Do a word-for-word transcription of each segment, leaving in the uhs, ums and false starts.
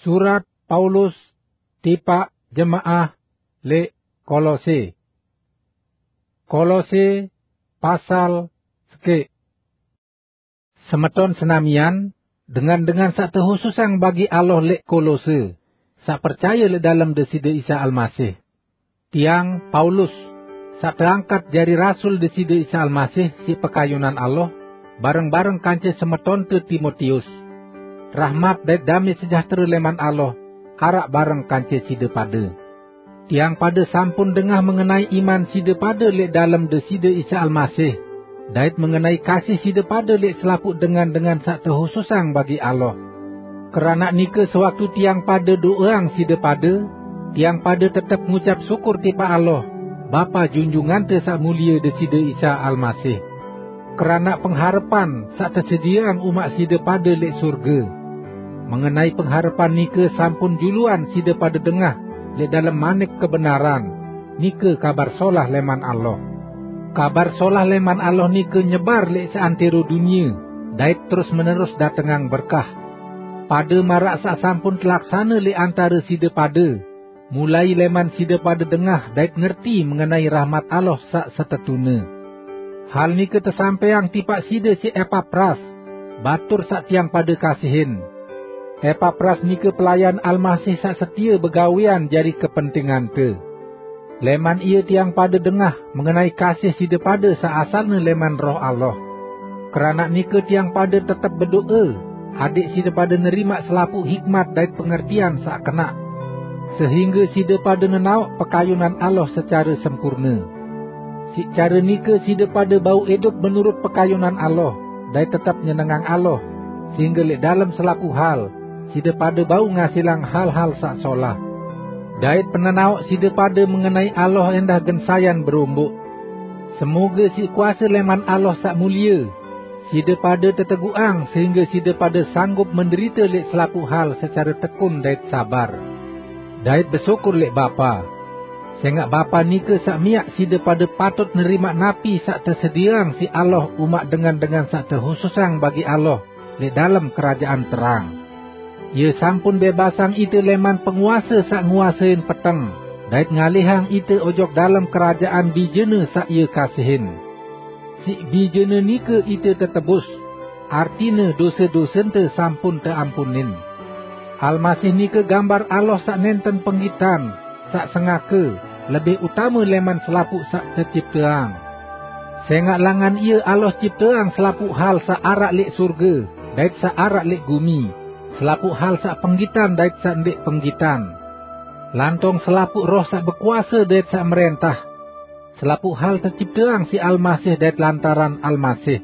Surat Paulus tipaq jemaah leq Kolose. Kolose pasal sekeq. Semeton senamian, dengan-dengan saq tehususang bagi Allah leq Kolose, saq percaye leq dalem Deside Isa Almasih. Tiang, Paulus, saq teangkat jari rasul Deside Isa Almasih siq pekayunan Allah, bareng-bareng kance semetonte Timotius. Rahmat dait dame sejahtere leman Allah araq bareng kance side pade. Tiang pade sampun dengah mengenai iman side pade leq dalem Deside Isa Almasih, dait mengenai kasih side pade leq selapuq dengan-dengan saq tehususang bagi Allah. Keranaq nike, sewaktu tiang pade do'eang side pade, tiang pade tetep ngucap syukur tipaq Allah, Bapa Junjungante Saq Mulie Deside Isa Almasih, keranaq pengharepan saq tesedieang umaq side pade leq surge. Mengenai pengharepan nike sampun juluan side pade dengah leq dalem manik kebenaran, nike Kabar Solah leman Allah. Kabar Solah leman Allah nike nyebar leq seantero dunie, dait terus-menerus datengang berkah. Pade maraq saq sampun telaksane leq antare side pade, mulai leman side pade dengah dait ngerti mengenai rahmat Allah saq setetune. Hal nike tesampaiang tipaq side siq Epapras, batur saq tiang pade kasihin. Epapras nike pelayan Almasih saq setie begawean jari kepentingante. Leman ie tiang pade dengah mengenai kasih side pade saq asalne leman Roh Allah. Keranaq nike tiang pade tetep bedo'e, adẽq side pade nerimaq selapuq hikmat dait pengertian saq kenaq, sehingge side pade nenaoq pekayunan Allah secare sempurne. Siq care nike side pade bau idup menurut pekayunan Allah, dait tetep nyenengang Allah, sehingge leq dalem selapuq hal side pade bau ngasilang hal-hal saq solah. Dait penenaoq side pade mengenai Allah endah gen sayan beromboq. Semoge siq kuase leman Allah saq mulie, side pade teteguqang sehingge side pade sanggup menderite leq selapuq hal secare tekun dait sabar, dait besyukur leq Bapa. Sengaq Bapa nike saq miaq side pade patut nerimaq napi saq tesedieang siq Allah umaq dengan-dengan saq tehususang bagi Allah leq dalem kerajaan terang. Ie sampun bebasang ite leman penguase saq nguasein peteng, dait ngalihang ite ojok dalem kerajaan Bijene saq Ie kasihin. Siq Bijene nike ite tetebus, artine dose-dosente sampun teampunin. Almasih nike gambar Allah saq nenten penggitan, saq sengake, lebih utame leman selapuq saq tecipteang. Sengaq langan Ie Allah cipteang selapuq hal saq araq leq surge dait saq araq leq gumi, selapuq hal saq penggitan dait saq ndeq penggitan, lantong selapuq roh saq bekuase dait saq merentah. Selapuq hal tecipteang siq Almasih dait lantaran Almasih.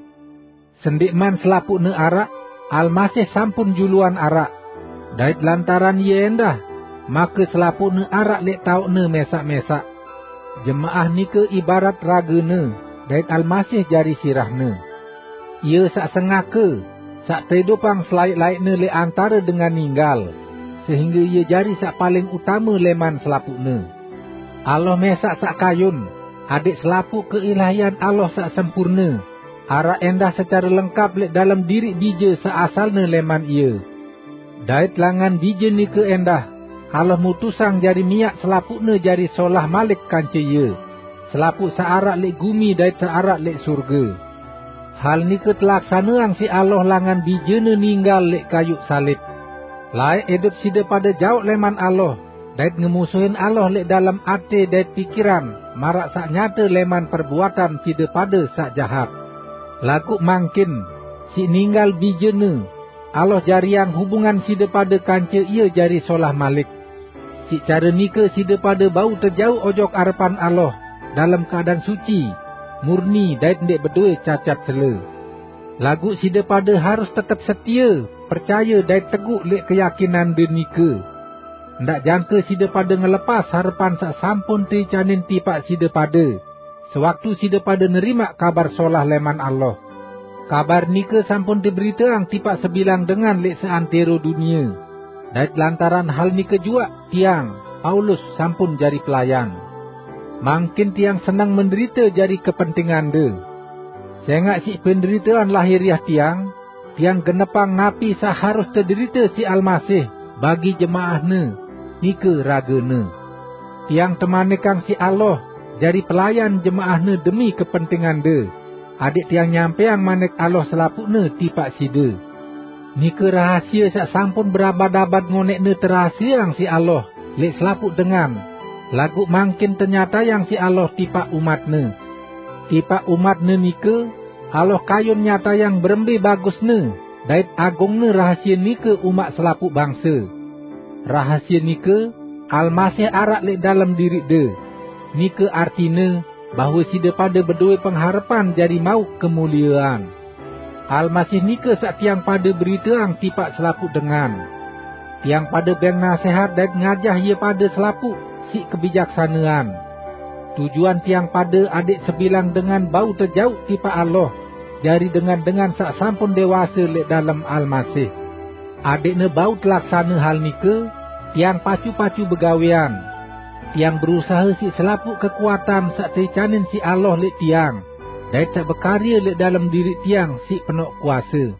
Sendikman selapuqne araq, Almasih sampun juluan araq, dait lantaran Ie endah, make selapuqne araq leq taoqne mesaq-mesaq. Jemaah nike ibarat ragene, dait Almasih jari sirahne. Ie saq sengake, saq teidupang selaeq-laeqne leq antare dengan ninggal, sehingge Ie jari saq paling utame leman selapuqne. Allah mesaq saq kayun, adẽq selapuq keilahian Allah saq sempurne, araq endah secare lengkap leq dalem diriq Bije saq asalne leman Ie. Dait langan Bije nike endah, Allah mutusang jari miaq selapuqne jari solah malik kance Ie, selapuq saq araq leq gumi dait saq araq leq surge. Hal nike telaksaneang siq Allah langan Bijene ninggal leq kayuq salib. Laeq idup side pade jaoq leman Allah, dait ngemusuhin Allah leq dalem ate dait pikiran, maraq saq nyate leman perbuatan side pade saq jahat. Laguq mangkin, siq ninggal Bijene, Allah jariang hubungan side pade kance Ie jari solah malik. Siq care nike side pade bau tejauq ojok arepan Allah dalem keadaan suci, murni dait ndeq bedowe cacat cele. Laguq side pade harus tetep setie, percaye dait teguq leq keyakinande nike. Ndaq jangke side pade ngelepas harepan saq sampun teicanin tipaq side pade, sewaktu side pade nerimaq Kabar Solah leman Allah. Kabar nike sampun teberiteang tipaq sebilang dengan leq seantero dunie, dait lantaran hal nike juaq tiang, Paulus, sampun jari pelayan. Mangkin tiang seneng menderite jari kepentingande. Sengaq siq penderitean lahiriah tiang, tiang genepang napi saq harus tederite siq Almasih, bagi jemaah-Ne, nike raga-Ne. Tiang temanikang siq Allah, jari pelayan jemaah-Ne demi kepentingande, adeq tiang nyampeang manik Allah selapuqne tipaq side. Nike rahasie saq sampun berabad-abad ngoneqne terahasieang siq Allah leq selapuq dengan, laguq mangkin tenyatayang siq Allah tipaq umat-Ne. Tipaq umat-Ne nike, Allah kayun nyatayang berembe bagusne dait agungne rahasie nike umaq selapuq bangse. Rahasie nike, Almasih araq leq dalem diriqde. Nike artine bahwe side pade bedowe pengharepan jari mauq kemuliean. Almasih nike saq tiang pade beriteang tipaq selapuq dengan. Tiang pade beng nasehat dait ngajah ie pade selapuq siq kebijaksanean. Tujuan tiang pade adeq sebilang dengan bau tejauq tipaq Allah, jari dengan-dengan saq sampun dewase leq dalem Almasih. Adeqne bau telaksane hal nike, tiang pacu-pacu begawean. Tiang berusahe siq selapuq kekuatan saq teicanin siq Allah leq tiang, dait saq bekarye leq dalem diriq tiang siq penoq kuase.